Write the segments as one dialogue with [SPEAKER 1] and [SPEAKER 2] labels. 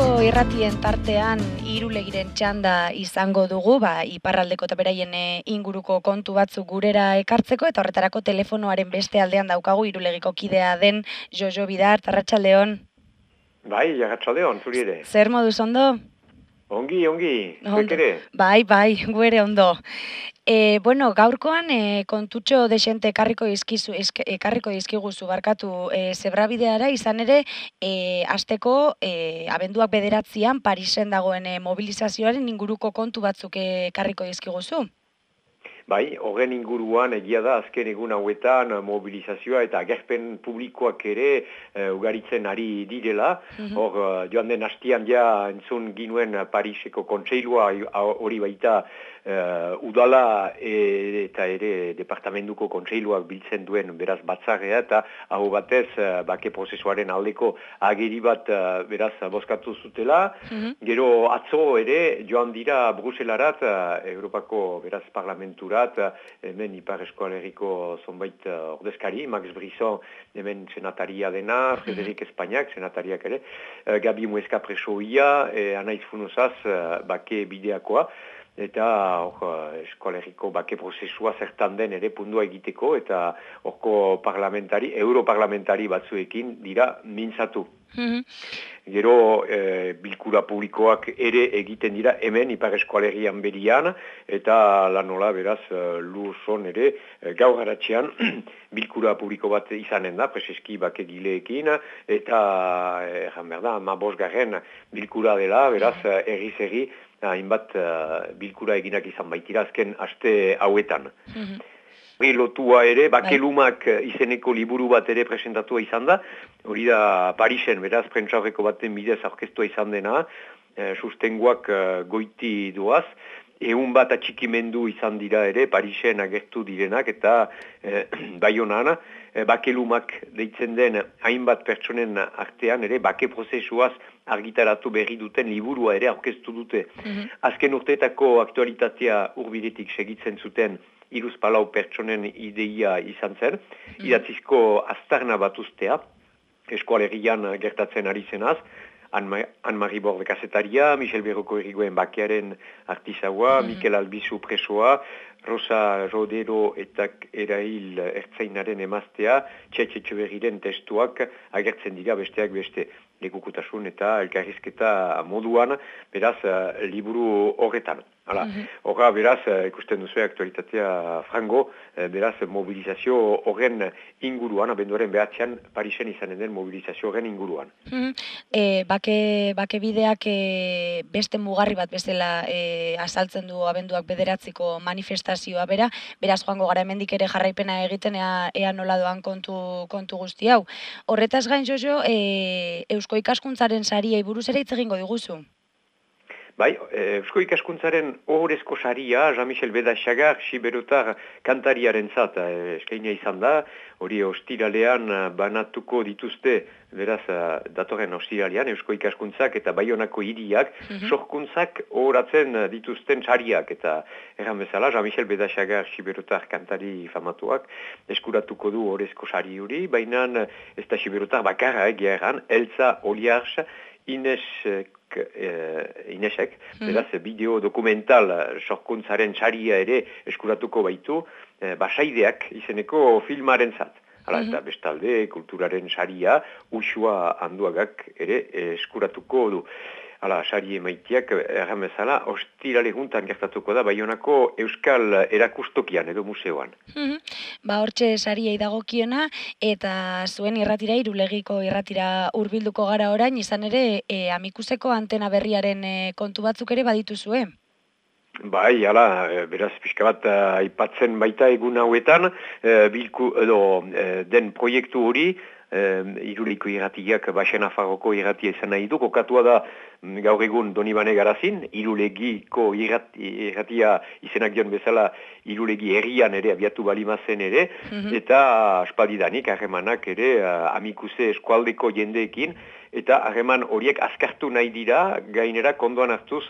[SPEAKER 1] Irulegiko irratien tartean Irulegiren txanda izango dugu, iparraldeko eta beraien inguruko kontu batzuk gurera ekartzeko, eta horretarako telefonoaren beste aldean daukagu Irulegiko kidea den Jojo Bidart, arratsaldeon.
[SPEAKER 2] Bai, arratsaldeon, zuri ere.
[SPEAKER 1] Zer moduz ondo?
[SPEAKER 2] Ongi, zuek ere?
[SPEAKER 1] Bai, gu ere ondo. Gaurkoan kontutxo desente ekarriko dizkiguzu barkatu zebrabideara, izan ere hasteko abenduak 9an Parisen dagoen mobilizazioaren inguruko kontu batzuk ekarriko dizkiguzu.
[SPEAKER 2] Bai, horren inguruan egia da azken egun hauetan mobilizazioa eta agerpen publikoak ere ugaritzen ari direla. Hor, joan den hastian ja entzun ginuen Pariseko kontseilua hori baita udala eta ere departamentuko kontseiluak biltzen duen beraz batzarrea eta hau batez bake prozesuaren aldeko agiri bat beraz bozkatu zutela. Gero atzo ere joan dira Bruselarat, Europako beraz parlamenturat, hemen Ipar Eskualeriko zonbait ordezkari, Max Brisson hemen senataria dena, Frederik Espainiak senatariak ere, Gabi Muesca presoia, Anaiz Funozaz bake bideakoa, eta Eskualeriko bake prozesua zertan den ere pundua egiteko, eta horko europarlamentari batzuekin dira mintzatu. Gero bilkura publikoak ere egiten dira hemen Ipar Eskualerian berian, eta lanola beraz Lurson ere gaur haratxean bilkura publiko bat izanen da, preseski bakegileekin, eta erran behar da, 15. bilkura dela, beraz erri hainbat bilkura eginak izan baitira azken aste hauetan. Lotua ere, bakelumak izeneko liburu bat ere presentatua izan da, hori da Parisen, beraz, prentsaurreko baten bidez aurkeztua izan dena, sustengoak goiti doaz, 100 bat atxikimendu izan dira ere, Parisen agertu direnak, eta Baionan, bakelumak deitzen den hainbat pertsonen artean ere, bake prozesuaz argitaratu berri duten liburua ere aurkeztu dute. Azken urteetako aktualitatea hurbiletik segitzen zuten 3-4 pertsonen ideia izan zen, idatzizko aztarna bat ustea, Eskualerian gertatzen ari zenaz, Anne-Marie Borde kazetaria, Michel Berroko Erigoen bakearen artisaua, Mikel Albizu presoa, Rosa Rodero eta Erail Ertzainaren emaztea, Txetxetxeberriren testuak agertzen dira besteak beste. Lekukutasun eta elkarrizketa moduan, beraz, liburu horretan. Horra, beraz, ikusten duzu aktualitatea frango, beraz, mobilizazio horren inguruan, abenduaren 9an Parisen izanen den mobilizazio horren inguruan.
[SPEAKER 1] Bake bideak beste mugarri bat bezala azaltzen du abenduak 9ko manifestazioa bera, beraz joango gara hemendik ere jarraipena egiten ea nola doan kontu guzti hau. Horretaz gain, Jojo, Eusko Ikaskuntzaren sariei buruz ere hitz egingo diguzu?
[SPEAKER 2] Bai, Eusko Ikaskuntzaren ohorezko saria, Jean-Michel Bedaxagar, Xiberotar kantariaren zat, eskaina izan da, hori ostiralean banatuko dituzte, beraz, datorren ostiralean, Eusko Ikaskuntzak eta Baionako hiriak, sorkuntzak ohoratzen dituzten sariak, eta erran bezala, Jean-Michel Bedaxagar, Xiberotar kantari famatuak, eskuratuko du ohorezko sari hori, baina ez da Xiberotar bakarra egia erran, Elsa Oliars, Inesek, beraz, bideo dokumental sorkuntzaren saria ere eskuratuko baitu, Basaideak izeneko filmaren zat. Eta bestalde, kulturaren saria, Usua Anduagak ere eskuratuko du. Sari emaitiak, erran bezala, ostirale juntan gertatuko da Baionako Euskal Erakustokian edo museoan.
[SPEAKER 1] Hortxe sariei dagokiona, eta zuen irratira, Irulegiko irratira hurbilduko gara orain, izan ere, Amikuseko antena berriaren kontu batzuk ere baditu zuen.
[SPEAKER 2] Bai, beraz, pixka bat aipatzen baita egun hauetan, den proiektu hori, Iruliko irratiak Baxena Farroko irratia izan nahi du, kokatua da gaur egun Donibane Garazin, Irulegiko irratia izenak dion bezala Irulegi herrian ere abiatu balimazen ere, eta aspaldidanik harremanak ere Amikuse eskualdeko jendeekin, eta harreman horiek azkartu nahi dira, gainera kondoan hartuz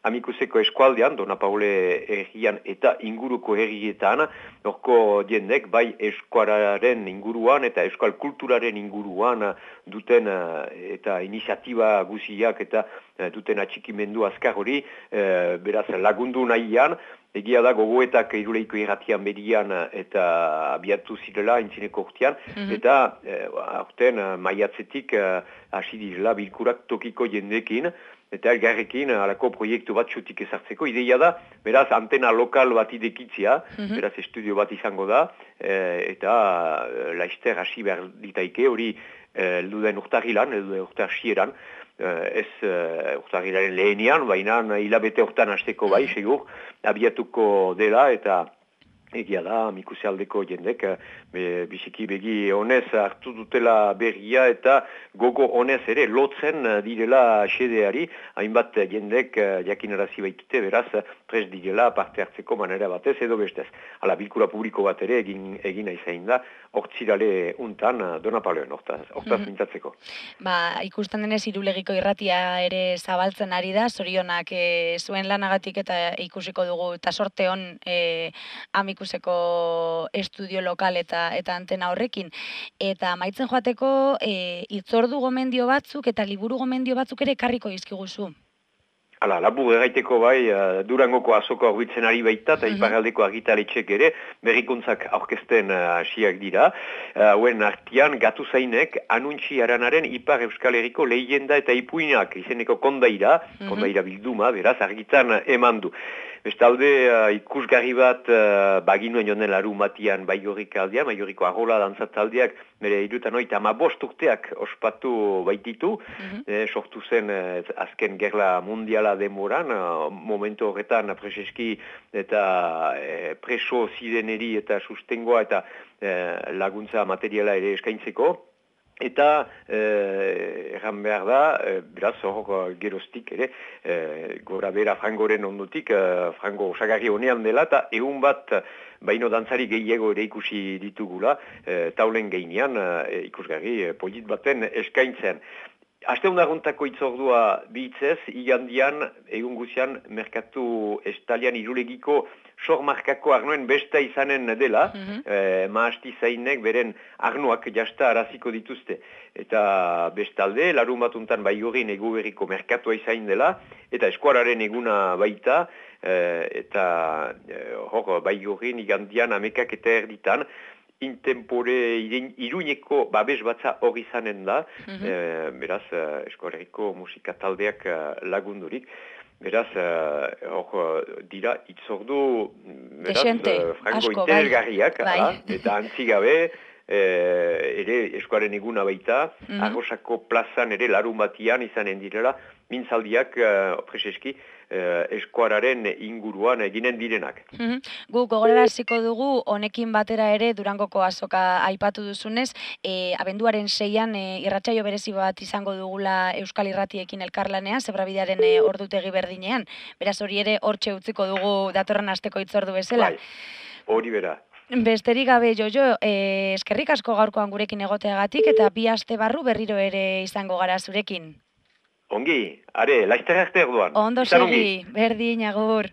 [SPEAKER 2] Amikuseko eskualdean, Dona Paule herrian eta inguruko herrietan, norko jendek bai eskuararen inguruan eta euskal kulturaren inguruan duten eta iniziatiba guziak eta duten atxikimendu azkar hori, beraz lagundu nahian, egia da gogoetak Iruleiko irratian berian eta abiatu zirela intzineko urtean, eta aurten maiatzetik hasi direla bilkurak tokiko jendekin, eta elgarrekin alako proiektu bat txutik ezartzeko. Ideia da, beraz, antena lokal bat idekitzia, beraz, estudio bat izango da, eta laizter hasi behar ditaike, hori elduden urtarrilan, elduden urtarxieran, ez urtarrilaren lehenian, baina hilabete hortan hasteko bai, segur, abiatuko dela, eta egia da, Amikuse aldeko jendek, biziki begi honez hartu dutela berria eta gogo honez ere lotzen direla xedeari, hainbat jendek jakinarazi baitute, beraz, prest direla parte hartzeko manera batez edo bestez. Hala, bilkura publiko bat ere egin aizain da, hortzirale untan Dona Pauleon, hortaz mintzatzeko.
[SPEAKER 1] Ikusten denez Irulegiko irratia ere zabaltzen ari da, zorionak zuen lanagatik eta ikusiko dugu, eta sorte hon Amikuseko estudio lokal eta antena horrekin. Eta maitzen joateko hitzordu gomendio batzuk eta liburu gomendio batzuk ere ekarriko dizkiguzu.
[SPEAKER 2] Hala, labur erraiteko bai, Durangoko azoko aurbitzen ari baita, eta iparraldeko argitaletxek ere berrikuntzak aurkezten hasiak dira. Hauen artian, gatu zainek, anuntxi aranaren Ipar Euskal Herriko lehenda eta ipuinak izeneko kondaira bilduma, beraz, argitan eman du. Bestalde, ikusgarri bat baginuen jonen laru matian Baigorrik aldean, Baigorriko arrola dantzat-aldeak, bere 75 urteak ospatu baititu, sortu zen azken gerla mundiala demoran, momentu horretan preseski eta preso zireneri eta sustengoa eta laguntza materiala ere eskaintzeko. Eta erran behar da, beraz hor geroztik ere, gora bera frangoren ondotik, frango osagarri honean dela, eta egun bat baino dantzari gehiago ere ikusi ditugula, taulen gainean ikusgarri polit baten eskaintzen. Asteundaguntako itzordua bihitzez, igandian, egun guzian, merkatu estalian Irulegiko sormarkako arnoen besta izanen dela, maasti zainek beren arnoak jasta araziko dituzte. Eta bestalde, larun batuntan Baigorrin Eguberriko merkatua izain dela, eta eskuararen eguna baita, eta hor Baigorrin igandian amekak eta erditan, intempore Iruñeko babes batza hori izanen da, beraz, eskuarriko musika taldeak lagundurik. Beraz, hor dira itzordu frango interesgarriak, eta antzigabe, ere eskuaren eguna baita, Arrosako plazan ere larun batian izanen direla, mintzaldiak preseski eskuararen inguruan eginen direnak.
[SPEAKER 1] Gu gogoraraziko dugu, honekin batera ere Durangoko azoka aipatu duzunez, abenduaren 6an irratsaio berezi bat izango dugula Euskal Irratiekin elkarlanean, Zebrabidearen ordutegi berdinean. Beraz hori ere hortxe utziko dugu datorren asteko hitzordu bezala.
[SPEAKER 2] Hori bera.
[SPEAKER 1] Besterik gabe, Jojo, eskerrik asko gaurkoan gurekin egoteagatik eta 2 aste barru berriro ere izango gara zurekin.
[SPEAKER 2] Ongi, are, laizter arte orduan.
[SPEAKER 1] Ondo segi, berdin, agur.